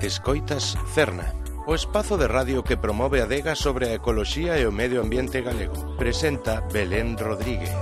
Escoitas Cerna, o espazo de radio que promove a adega sobre a ecoloxía e o medio ambiente galego. Presenta Belén Rodríguez.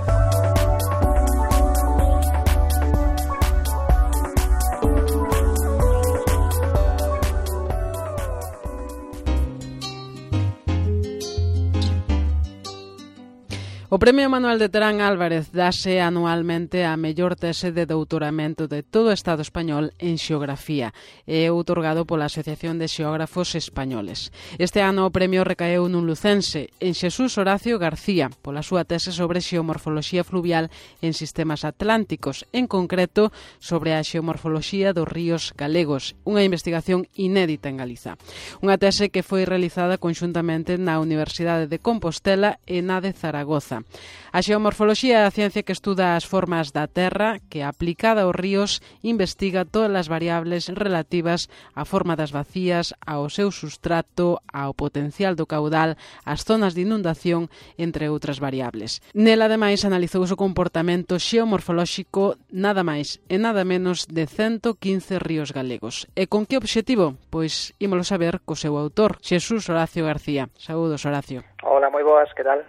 O Premio Manuel de Terán Álvarez dáse anualmente a mellor tese de doutoramento de todo o Estado español en xeografía e é outorgado pola Asociación de Xeógrafos Españoles. Este ano o premio recaeu nun lucense, en Xesús Horacio García, pola súa tese sobre xeomorfoloxía fluvial en sistemas atlánticos, en concreto sobre a xeomorfoloxía dos ríos galegos, unha investigación inédita en Galiza. Unha tese que foi realizada conxuntamente na Universidade de Compostela e na de Zaragoza. A xeomorfoloxía é a ciencia que estuda as formas da terra que, aplicada aos ríos, investiga todas as variables relativas á forma das bacías, ao seu substrato, ao potencial do caudal, ás zonas de inundación, entre outras variables. Nela, ademais, analizouse o comportamento xeomorfolóxico nada máis e nada menos de 115 ríos galegos. E con que obxectivo? Pois ímolo saber co seu autor, Xesús Horacio García. Saúdos, Horacio. Hola, moi boas, que tal?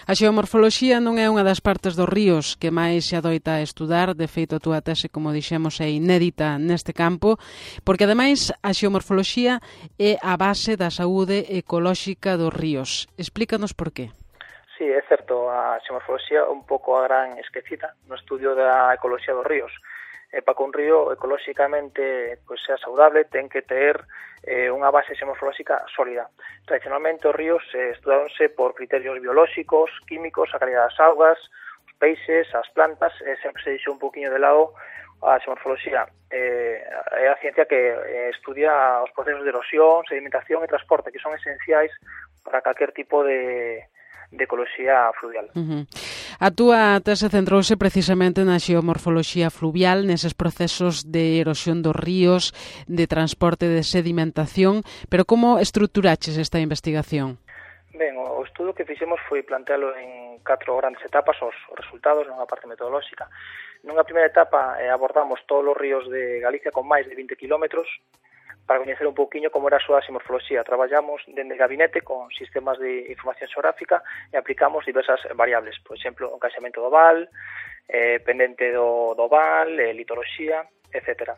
A xeomorfoloxía non é unha das partes dos ríos que máis se adoita a estudar, de feito a túa tese, como dixemos, é inédita neste campo, porque ademais a xeomorfoloxía é a base da saúde ecolóxica dos ríos. Explícanos por qué. Sí, é certo, a xeomorfoloxía é un pouco a gran esquecida no estudio da ecoloxía dos ríos. Para que un río ecolóxicamente sea saudable ten que ter unha base xeomorfolóxica sólida. Tradicionalmente os ríos estudáronse por criterios biolóxicos, químicos, a calidad das augas, os peixes, as plantas, sempre se deixou un poquinho de lado a xeomorfoloxía. É a ciencia que estudia os procesos de erosión, sedimentación e transporte, que son esenciais para calquer tipo de ecoloxía fluvial. A túa tese centrouse precisamente na xeomorfoloxía fluvial, neses procesos de erosión dos ríos, de transporte de sedimentación, pero como estruturaches esta investigación? Ben, o estudo que fixemos foi plantealo en 4 grandes etapas, os resultados, nunha parte metodolóxica. Nunha primeira etapa abordamos todos os ríos de Galicia con máis de 20 kilómetros, para coñecer un pouquiño como era a súa xeomorfoloxía. Traballamos dende gabinete con sistemas de información xeográfica e aplicamos diversas variables, por exemplo, o encaixamento do val, pendente do val, litoloxía, etc.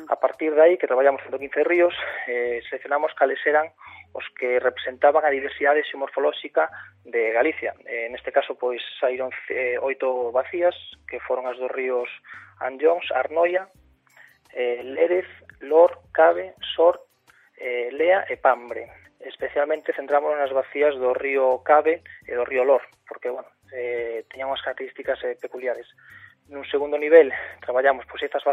A partir de aí, que traballamos 115 ríos, seleccionamos cales eran os que representaban a diversidade xeomorfolóxica de Galicia. Neste caso, pois, saíron 8 vacías, que foron as dos ríos Anllóns, Arnoia, Lérez, Lor, Cabe, Sor, Lea e Pambre. Especialmente centrámonos nas vacías do río Cabe e do río Lor, porque, teñan unhas características peculiares. Nun segundo nivel, traballamos estas 8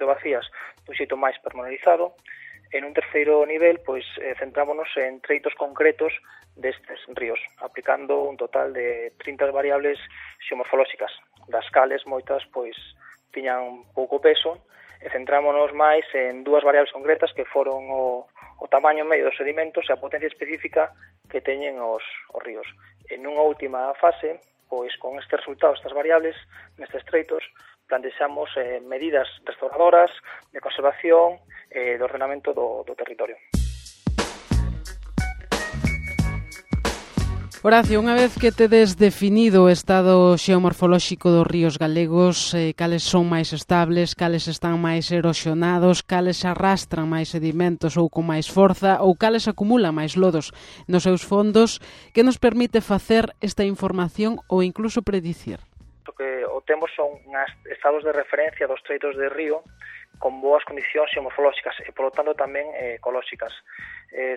vacías, dun xeito máis pormenorizado. En un terceiro nivel, centrámonos en treitos concretos destes ríos, aplicando un total de 30 variables xeomorfolóxicas, das cales moitas, tiñan pouco peso, e centrámonos máis en dúas variables concretas que foron o tamaño medio dos sedimentos e a potencia específica que teñen os ríos. En unha última fase, con estes resultados, estas variables, nestes treitos, plantexamos medidas restauradoras de conservación e de ordenamento do territorio. Horacio, unha vez que tedes definido o estado xeomorfolóxico dos ríos galegos, cales son máis estables, cales están máis erosionados, cales arrastran máis sedimentos ou con máis forza, ou cales acumulan máis lodos nos seus fondos, que nos permite facer esta información ou incluso predicir? O que temos son estados de referencia dos treitos de río con boas condicións xeomorfolóxicas e, polo tanto, tamén ecolóxicas.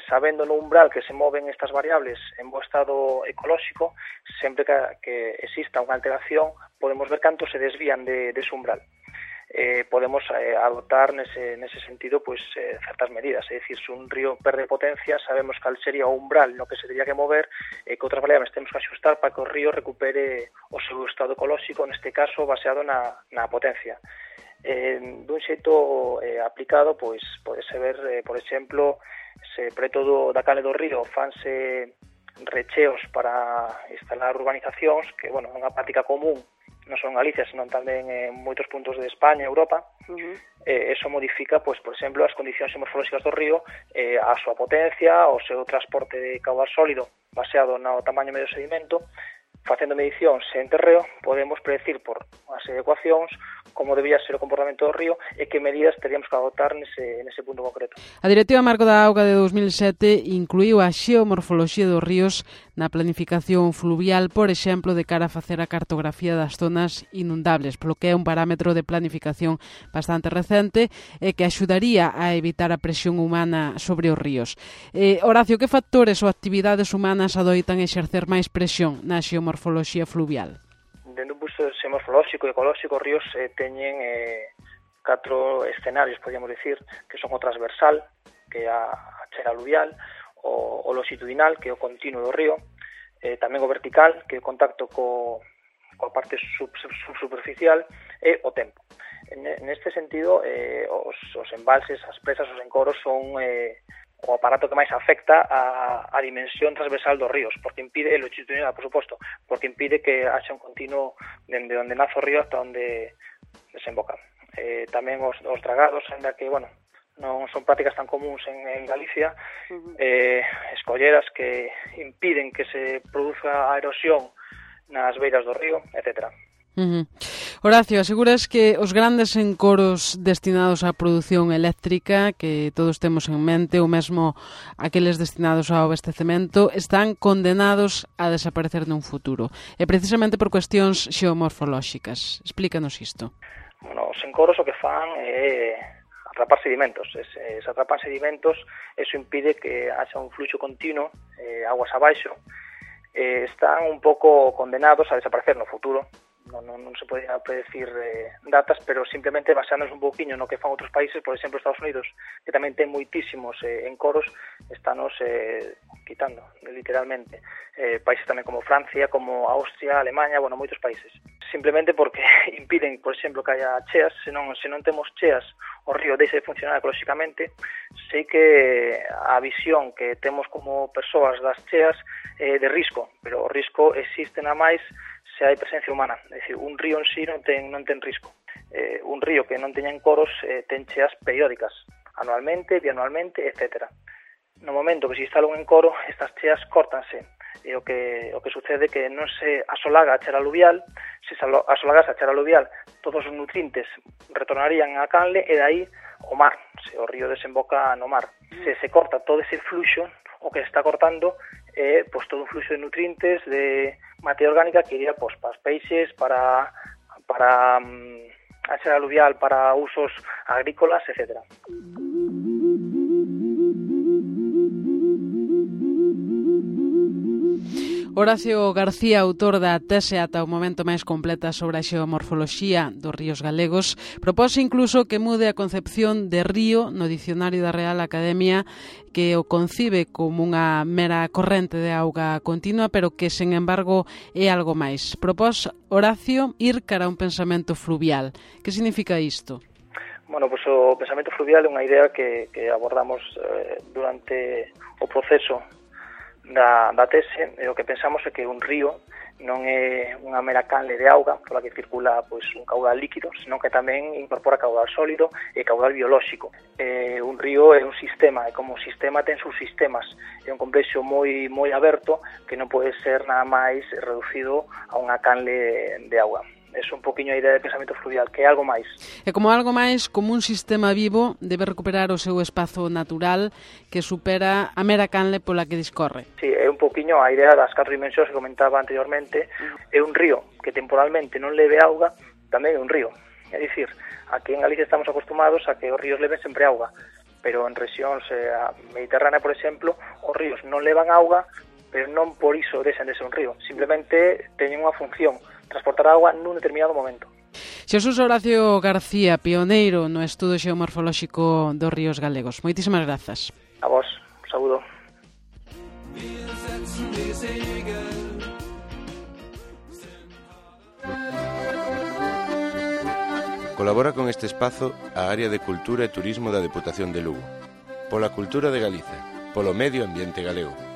Sabendo no umbral que se moven estas variables en bo estado ecolóxico, sempre que exista unha alteración, podemos ver canto se desvían dese umbral. Podemos adoptar nese sentido certas medidas, é dicir, se un río perde potencia, sabemos cal sería o umbral no que se teria que mover e que outras variables temos que axustar para que o río recupere o seu estado ecolóxico, neste caso baseado na potencia. Dun xeito aplicado, podese ver, por exemplo, se preto da cale do río fanse recheos para instalar urbanizacións, que, é unha práctica común non só en Galicia, senón tamén en moitos puntos de España e Europa. Eso modifica, pois, por exemplo, as condicións morfolóxicas do río, a súa potencia, o seu transporte de caudal sólido baseado no tamaño medio do sedimento. Facendo medicións en terreo, podemos predecir por unha serie de ecuacións como debía ser o comportamento do río e que medidas teríamos que adoptar nese punto concreto. A Directiva Marco da Auga de 2007 incluíu a xeomorfoloxía dos ríos na planificación fluvial, por exemplo, de cara a facer a cartografía das zonas inundables, polo que é un parámetro de planificación bastante recente e que axudaría a evitar a presión humana sobre os ríos. Horacio, que factores ou actividades humanas adoitan exercer máis presión na xeomorfoloxía fluvial? Dende un punto xeomorfolóxico e ecolóxico, os ríos teñen 4 escenarios, podríamos decir, que son o transversal, que é a chera aluvial, o longitudinal, que é o continuo do río, tamén o vertical, que é o contacto coa parte subsuperficial, e o tempo. Neste sentido, os embalses, as presas, os encoros son o aparato que máis afecta a dimensión transversal dos ríos, porque impide, e longitudinal, por suposto, porque impide que haxa un continuo dende onde nace o río hasta onde desemboca. Tamén os dragados, ainda que, bueno, non son prácticas tan comuns en Galicia, escolleras que impiden que se produza a erosión nas beiras do río, etcétera. Horacio, aseguras que os grandes encoros destinados á produción eléctrica que todos temos en mente, ou mesmo aqueles destinados ao abastecemento, están condenados a desaparecer nun futuro, e precisamente por cuestións xeomorfolóxicas. Explícanos isto. Bueno, os encoros o que fan é atrapar sedimentos. Se atrapan sedimentos, eso impide que haxa un fluxo continuo, aguas abaixo, están un pouco condenados a desaparecer no futuro. Non se podía predecir datas, pero simplemente basándonos un pouquiño no que fan outros países, por exemplo Estados Unidos, que tamén ten moitísimos encoros, estános quitando, literalmente. Países tamén como Francia, como Austria, Alemania, bueno, moitos países. Simplemente porque impiden, por exemplo, que haya cheas. Se non temos cheas, o río deixa de funcionar ecolóxicamente. Sei que a visión que temos como persoas das cheas é de risco, pero o risco existe na máis se hai presencia humana. É dicir, un río en sí non ten risco. Un río que non teña encoros ten cheas periódicas, anualmente, bianualmente, etc. No momento que se instala un encoro, estas cheas córtanse. E o que sucede é que non se asolaga a chera aluvial. Se asolagase a chera aluvial, todos os nutrientes retornarían á canle e dai o mar, se o río desemboca no mar. Se corta todo ese fluxo, o que se está cortando é todo un fluxo de nutrientes, de materia orgánica que iría para os peixes, para a chera aluvial, para usos agrícolas, etc. Horacio García, autor da tese ata o momento máis completa sobre a xeomorfoloxía dos ríos galegos, propose incluso que mude a concepción de río no dicionario da Real Academia, que o concibe como unha mera corrente de auga continua, pero que, sen embargo, é algo máis. Propós Horacio ir cara a un pensamento fluvial. Que significa isto? Bueno, pois o pensamento fluvial é unha idea que abordamos durante o proceso da tese. E o que pensamos é que un río non é unha mera canle de auga pola que circula un caudal líquido, senón que tamén incorpora caudal sólido e caudal biolóxico. Un río é un sistema, e como sistema ten subsistemas, é un complexo moi aberto que non pode ser nada máis reducido a unha canle de auga. É un poquinho a idea de pensamento fluvial, que é algo máis. E como algo máis, como un sistema vivo, debe recuperar o seu espazo natural que supera a mera canle pola que discorre. Sí, é un poquinho a idea das 4 dimensións que comentaba anteriormente. É un río que temporalmente non leve auga, tamén é un río. É dicir, aquí en Galicia estamos acostumados a que os ríos leven sempre auga, pero en rexións mediterránea, por exemplo, os ríos non levan auga, pero non por iso deixan de ser un río. Simplemente teñen unha función, transportar agua nun determinado momento. Xesús Horacio García, pioneiro no estudo xeomorfolóxico dos ríos galegos. Moitísimas grazas. A vos, un saúdo. Colabora con este espazo a Área de Cultura e Turismo da Deputación de Lugo. Pola cultura de Galicia, polo medio ambiente galego.